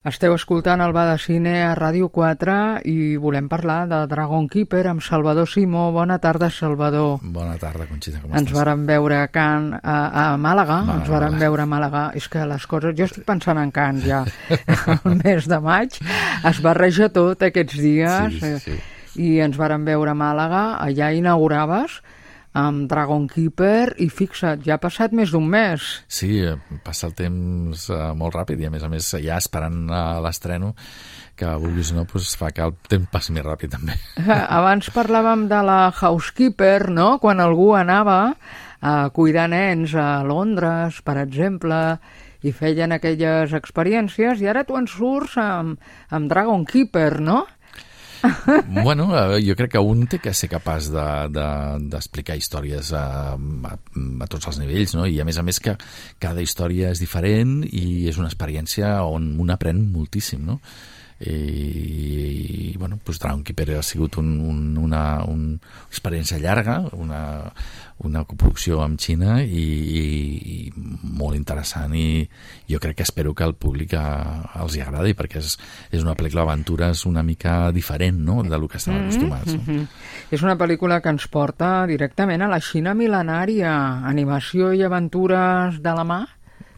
Esteu escoltant el Bar de Cine a Ràdio 4 i volem parlar de Dragon Keeper amb Salvador Simó. Bona tarda, Salvador. Bona tarda, Conxita, com estàs? Ens vàrem veure a Cannes, a Màlaga. Ens vàrem veure a Màlaga. És que les coses... Jo estic pensant en Cannes ja. El mes de maig es barreja tot aquests dies. Sí. I ens vàrem veure a Màlaga. Allà inauguraves amb Dragon Keeper i fixa't, ja ha passat més d'un mes. Sí, passa el temps molt ràpid i a més ja esperant l'estreno que vulguis o no, doncs fa que el temps passi més ràpid també. Abans parlàvem de la housekeeper, no? Quan algú anava a cuidar nens a Londres, per exemple, i feien aquelles experiències, i ara tu en surts amb Dragon Keeper, no? Bueno, jo crec que un té que ser capaç d'explicar històries a tots els nivells, no? I a més que cada història és diferent i és una experiència on un aprèn moltíssim, no? I bueno, doncs Dragon Keeper ha sigut una experiència llarga, una coproducció amb Xina i molt interessant, i jo crec que espero que al públic els hi agradi, perquè és una pel·lícula d'aventures una mica diferent, no?, del que estem acostumats. No? És una pel·lícula que ens porta directament a la Xina mil·lenària, animació i aventures de la mà.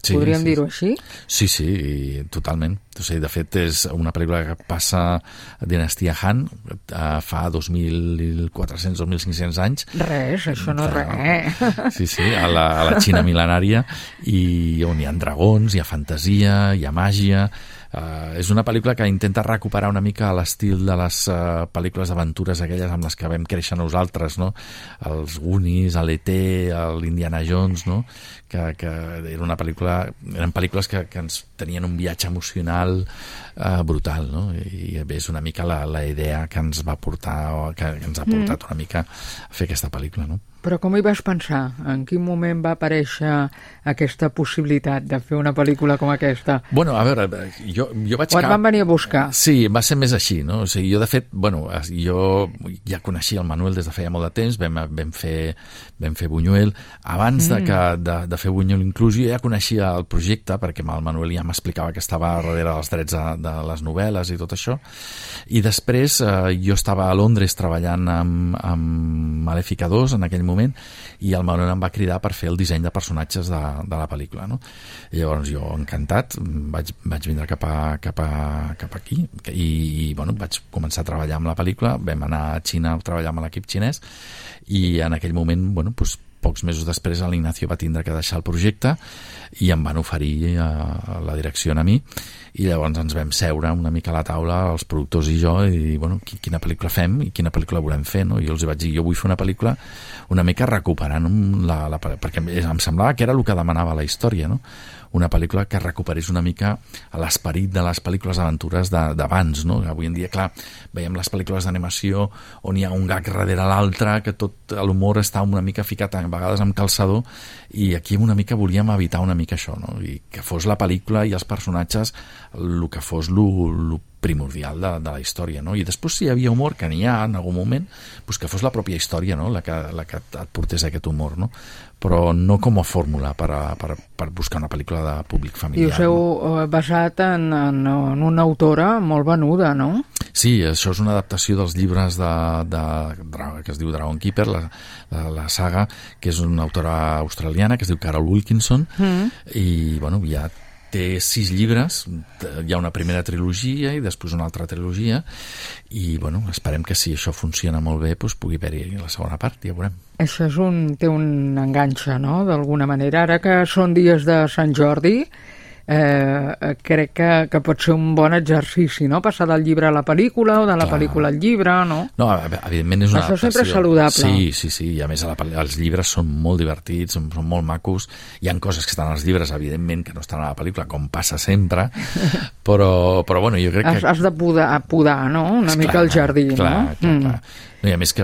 Sí, podríem dir-ho així? Sí, totalment. O sigui, de fet, és una pel·lícula que passa a dinastia Han fa 2.400, 2.500 anys. Res, això no és res. Sí, a la Xina mil·lenària, i on hi ha dragons, hi ha fantasia, hi ha màgia. És una pel·lícula que intenta recuperar una mica l'estil de les pel·lícules d'aventures aquelles amb les que vam créixer nosaltres, no? Els Goonies, l'E.T., l'Indiana Jones, no? Que eren pel·lícules que ens tenien un viatge emocional brutal, no? I és una mica la idea que ens va portar, que ens ha portat una mica a fer aquesta pel·lícula, no? Però com hi vas pensar? En quin moment va aparèixer aquesta possibilitat de fer una pel·lícula com aquesta? Bueno, a veure, jo vaig... O et van venir a buscar? Sí, va ser més així, no? O sigui, jo, de fet, jo ja coneixia el Manuel des de feia molt de temps, vam fer Buñuel. Abans de fer Buñuel inclús, jo ja coneixia el projecte, perquè el Manuel ja m'explicava que estava darrere dels drets de les novel·les i tot això. I després jo estava a Londres treballant amb Malèfica 2 en aquell moment, i el Manuel em va cridar per fer el disseny de personatges de la pel·lícula, no? I llavors jo, encantat, vaig vindre cap aquí i bueno, vaig començar a treballar amb la pel·lícula. Vam anar a Xina a treballar amb l'equip xinès, i en aquell moment, bueno, doncs pocs mesos després l'Ignacio va tindre que deixar el projecte i em van oferir la direcció a mi, i llavors ens vam seure una mica a la taula, els productors i jo, i dir, bueno, quina pel·lícula fem i quina pel·lícula volem fer, no? I jo els vaig dir, jo vull fer una pel·lícula una mica recuperant perquè em semblava que era el que demanava la història, no? Una pel·lícula que recuperés una mica l'esperit de les pel·lícules d'aventures d'abans, no? Avui en dia, clar, veiem les pel·lícules d'animació on hi ha un gag darrere l'altre, que tot l'humor està una mica ficat a vegades amb calçador, i aquí una mica volíem evitar una mica això, no? I que fos la pel·lícula i els personatges el que fos lo primordial de la història, no? I després, si hi havia humor, que n'hi ha en algun moment, doncs que fos la pròpia història, no?, la que et portés aquest humor, no? Però no com a fórmula per buscar una pel·lícula de públic familiar. I us heu basat en una autora molt venuda, no? Sí, això és una adaptació dels llibres que es diu Dragon Keeper, la saga, que és una autora australiana que es diu Carol Wilkinson, i bueno, ja té 6 llibres, hi ha una primera trilogia i després una altra trilogia, i bueno, esperem que si això funciona molt bé, doncs pugui haver-hi la segona part, ja veurem. Això té un enganxe, no?, d'alguna manera. Ara que són dies de Sant Jordi, crec que pot ser un bon exercici, no?, passar del llibre a la pel·lícula o de la pel·lícula al llibre, no? No, evidentment és una adaptació. Això sempre és saludable. Sí, i a més els llibres són molt divertits, són molt macos. Hi ha coses que estan als llibres, evidentment, que no estan a la pel·lícula, com passa sempre, però bueno, jo crec que... Has de podar, no?, una mica el jardí, no? Clar. No, i a més que,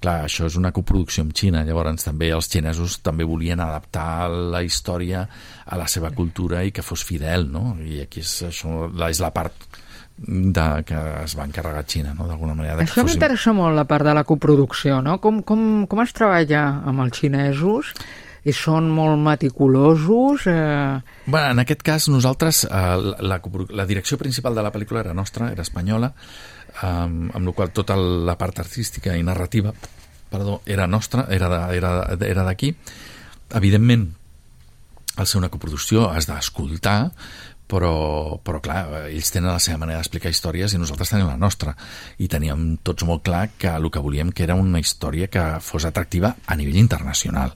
clar, això és una coproducció amb Xina, llavors també els xinesos també volien adaptar la història a la seva cultura i que fos fidel, no? I aquí és la part que es va encarregar Xina, no?, d'alguna manera. Això m'interessa molt, la part de la coproducció, no? Com es treballa amb els xinesos? I són molt meticulosos? Bueno, en aquest cas, nosaltres, la direcció principal de la pel·lícula era nostra, era espanyola, amb la qual tota la part artística i narrativa era nostra, era d'aquí. Evidentment, al ser una coproducció has d'escoltar, però clar, ells tenen la seva manera d'explicar històries i nosaltres tenim la nostra, i teníem tots molt clar que el que volíem que era una història que fos atractiva a nivell internacional.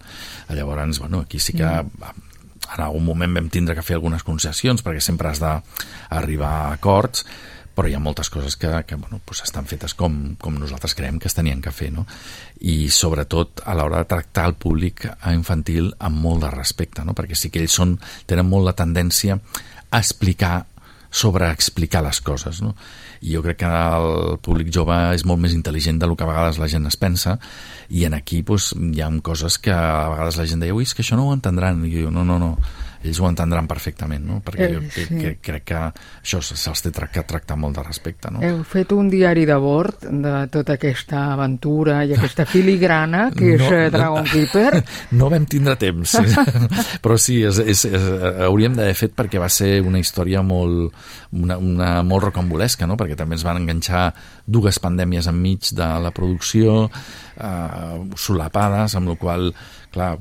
Llavors, bueno, aquí sí que en algun moment vam tindre que fer algunes concessions perquè sempre has d'arribar a acords, però hi ha moltes coses que bueno, pues estan fetes com nosaltres creiem que es tenien que fer, no? I sobretot a l'hora de tractar el públic infantil amb molt de respecte, no? Perquè sí que ells tenen molt la tendència a explicar, sobreexplicar les coses, no? I jo crec que el públic jove és molt més intel·ligent del que a vegades la gent es pensa, i en aquí pues, hi ha coses que a vegades la gent deia, ui, és que això no ho entendran, i jo, no, ells ho entendran perfectament, no? Perquè jo crec que això se'ls té que tractar molt de respecte, no? Heu fet un diari de bord de tota aquesta aventura i aquesta filigrana que és Dragon Keeper? No vam tindre temps, però sí, hauríem d'haver fet perquè va ser una història molt rocambolesca, no? Perquè també ens van enganxar 2 pandèmies enmig de la producció, solapades, amb la qual clar,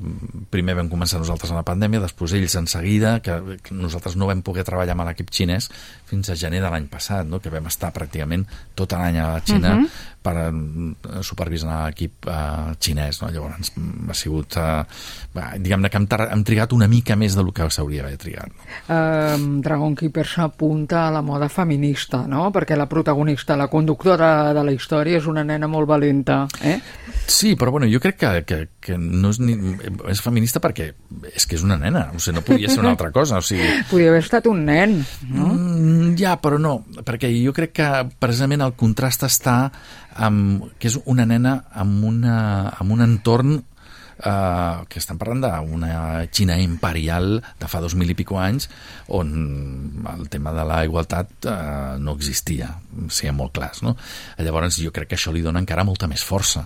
primer vam començar nosaltres en la pandèmia, després ells en seguida, que nosaltres no vam poder treballar amb l'equip xinès fins a gener de l'any passat, no? Que vam estar pràcticament tot l'any a la Xina per supervisar l'equip xinès, no? Llavors ha sigut diguem-ne que hem trigat una mica més del que s'hauria d'haver trigat, no? Dragon Keeper s'apunta a la moda feminista, no? Perquè la protagonista, la conductora de la història és una nena molt valenta, Sí, però bueno, jo crec que no és feminista perquè és que és una nena, o sigui, no podia ser una altra cosa, o sigui... Podria haver estat un nen, no? Ja, però no, perquè jo crec que precisament el contrast està que és una nena amb un entorn que estan parlant d'una Xina imperial de fa 2000 i pico anys on el tema de la igualtat no existia, siguem molt clars, no? Llavors jo crec que això li dona encara molta més força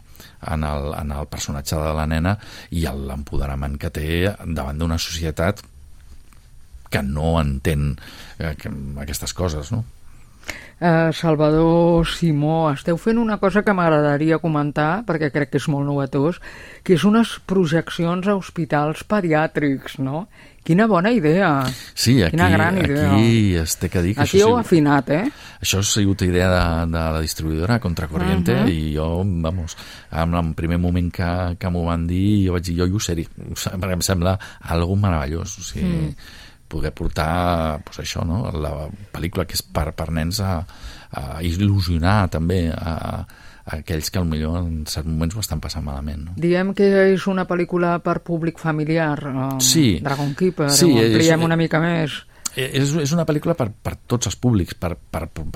en el personatge de la nena i l'empoderament que té davant d'una societat que no entén aquestes coses, no? Salvador Simó, esteu fent una cosa que m'agradaria comentar perquè crec que és molt novetós, que és unes projeccions a hospitals pediàtrics, no? Quina bona idea! Sí, quina gran idea. Aquí es té que dir que aquí heu afinat, Això ha sigut idea de la distribuïdora Contracorriente i jo, vamos, en el primer moment que m'ho van dir, jo vaig dir, jo ho sé, perquè em sembla algo meravellós, o sigui... poder portar pues això, no? La pel·lícula que és per nens a il·lusionar també a aquells que potser en certs moments ho estan passant malament, no? Diem que és una pel·lícula per públic familiar, sí. Dragon Keeper, sí, ho ampliem una mica més. És una pel·lícula per tots els públics, per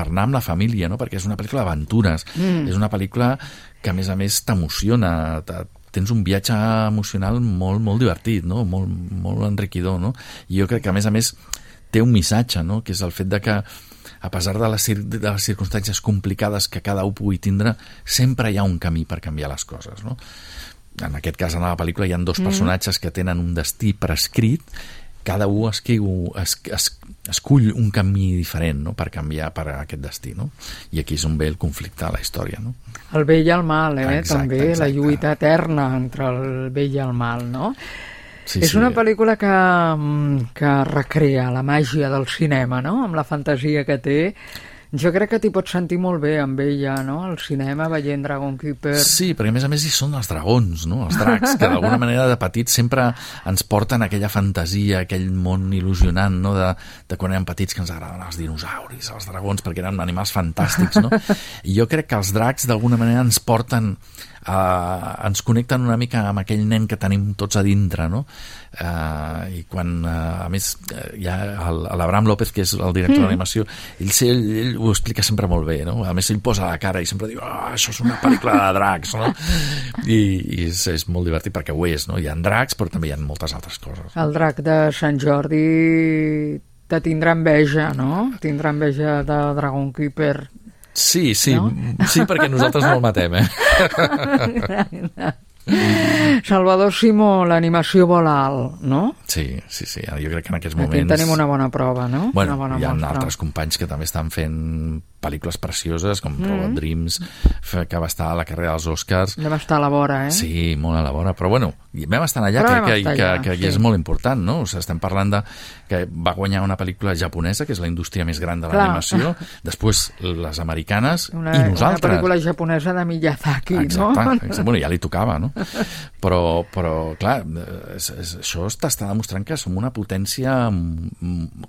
anar amb la família, no? Perquè és una pel·lícula d'aventures, és una pel·lícula que a més t'emociona, tens un viatge emocional molt, molt divertit, no? Molt enriquidor, no? I jo crec que a més té un missatge, no? Que és el fet de que a pesar de les circumstàncies complicades que cada un pugui tindre, sempre hi ha un camí per canviar les coses, no? En aquest cas, en la pel·lícula hi ha 2 personatges que tenen un destí prescrit, cada un escull un camí diferent, no? Per canviar per aquest destí, no? I aquí és on ve el conflicte a la història, no? El bé i el mal, exacte, també, exacte. La lluita eterna entre el bé i el mal, no? Sí, és una pel·lícula que recrea la màgia del cinema, no? Amb la fantasia que té. Jo crec que t'hi pots sentir molt bé amb ella, no? Al cinema, veient Dragon Keeper. Sí, perquè a més hi són els dragons, no? Els dracs, que d'alguna manera de petits sempre ens porten aquella fantasia, aquell món il·lusionant, no? De quan érem petits que ens agradaven els dinosauris, els dragons, perquè eren animals fantàstics, no? I jo crec que els dracs d'alguna manera ens porten ens connecten una mica amb aquell nen que tenim tots a dintre, no? I quan a més hi ha l'Abraham López, que és el director d'animació, ell ho explica sempre molt bé, no? A més ell posa la cara i sempre diu, això és una pel·lícula de dracs, no? I és molt divertit perquè ho és, no? Hi ha dracs però també hi ha moltes altres coses. El drac de Sant Jordi te tindrà enveja, no? Tindrà enveja de Dragon Keeper. Sí, no? Sí, perquè nosaltres no el matem, Salvador Simó, l'animació vola alt, no? Sí, jo crec que en aquests Aquí moments... tenim una bona prova, no? Bueno, una bona hi ha mostra. altres companys que també estan fent pel·lícules precioses, com Robot Dreams, que va estar a la carrera dels Oscars. Vam estar a la vora, eh? Sí, molt a la vora, però bueno, vam estar allà, que és molt important, no? O sigui, estem parlant de que va guanyar una pel·lícula japonesa, que és la indústria més gran de l'animació, després les americanes i nosaltres. Una pel·lícula japonesa de Miyazaki, exacte, no? Exacte, bueno, ja li tocava, no? Però clar, això t'està demostrant que som una potència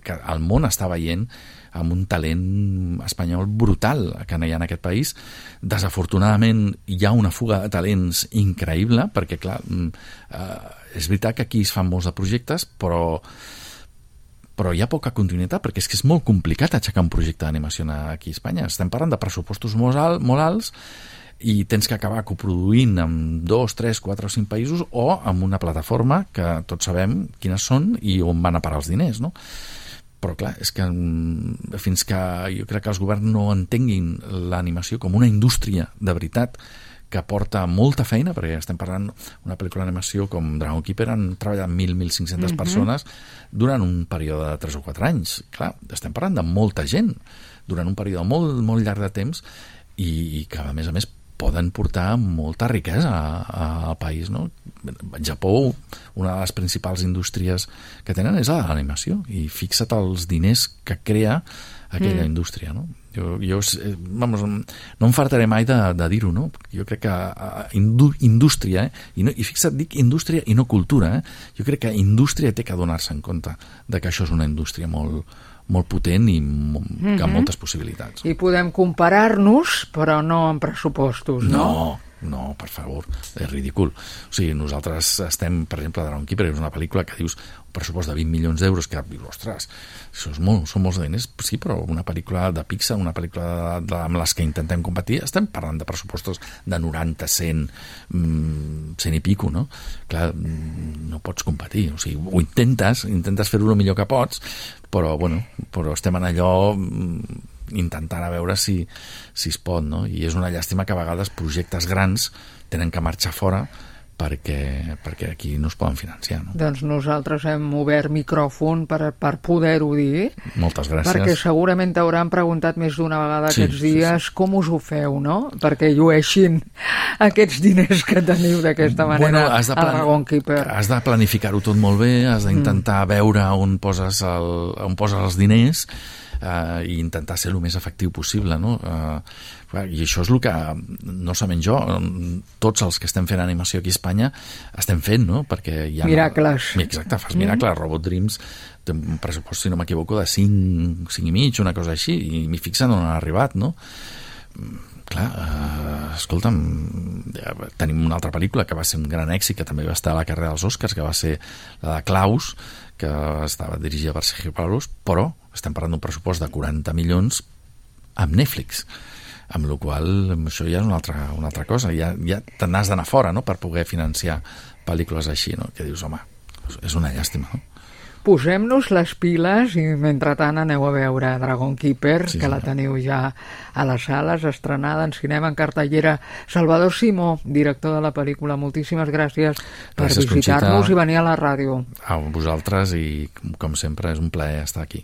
que el món està veient amb un talent espanyol brutal que hi ha en aquest país. Desafortunadament hi ha una fuga de talents increïble, perquè clar, és veritat que aquí es fan molts de projectes, però hi ha poca continuïtat, perquè és que és molt complicat aixecar un projecte d'animació aquí a Espanya. Estem parlant de pressupostos molt alts i tens que acabar coproduint amb 2, 3, 4 o 5 països o amb una plataforma que tots sabem quines són i on van a parar els diners, no? Però clar, és que fins que jo crec que els governs no entenguin l'animació com una indústria de veritat que porta molta feina, perquè estem parlant una pel·lícula d'animació com Dragon Keeper, han treballat 1.500 persones durant un període de 3 o 4 anys. Clar, estem parlant de molta gent durant un període molt, molt llarg de temps i que a més poden portar molta riquesa al país, no? Al Japó, una de les principals indústries que tenen és la de l'animació, i fixa't els diners que crea aquella indústria, no? Vamos, no em fartaré mai de dir-ho, no? Jo crec que indústria, i fixa't, dic indústria i no cultura, jo crec que indústria té que donar-se en compte de que això és una indústria molt potent i amb moltes possibilitats. I podem comparar-nos, però no en pressupostos, no? No, per favor, és ridícul. O sigui, nosaltres estem, per exemple, Dragon Keeper, és una pel·lícula que dius un pressupost de 20 milions d'euros, que dius, ostres, això són molts diners, sí, però una pel·lícula de Pixar, una pel·lícula amb les que intentem competir, estem parlant de pressupostos de 90, 100, 100 i pico, no? Clar, no pots competir, o sigui, ho intentes fer-ho el millor que pots, però estem en allò intentant a veure si es pot, no? I és una llàstima que a vegades projectes grans tenen que marxar fora perquè aquí no es poden financiar, no? Doncs nosaltres hem obert micròfon per poder-ho dir. Moltes gràcies. Perquè segurament t'hauran preguntat més d'una vegada aquests dies com us ho feu, no? Perquè llueixin aquests diners que teniu d'aquesta manera a Dragon Keeper. Has de planificar-ho tot molt bé, has d'intentar veure on poses els diners i intentar ser el més efectiu possible, no? I això és el que, no solament jo, tots els que estem fent animació aquí a Espanya estem fent, no? Perquè hi ha... Miracles. Exacte, fas miracles. Robot Dreams té un pressupost, si no m'equivoco, de 5 i mig, una cosa així, i m'hi fixen on han arribat, no? Clar, escolta'm, tenim una altra pel·lícula que va ser un gran èxit, que també va estar a la carrera dels Oscars, que va ser la de Klaus, que estava dirigida per Sergio Pablos, però estem parlant d'un pressupost de 40 milions amb Netflix, amb la qual això ja és una altra cosa, ja te n'has d'anar fora, no?, per poder financiar pel·lícules així, no?, que dius, home, és una llàstima, no? Posem-nos les piles i mentrestant aneu a veure Dragon Keeper, que la teniu ja a les sales, estrenada en cinema, en cartellera. Salvador Simó, director de la pel·lícula, moltíssimes gràcies per visitar-nos i venir a la ràdio. A vosaltres, i com sempre és un plaer estar aquí.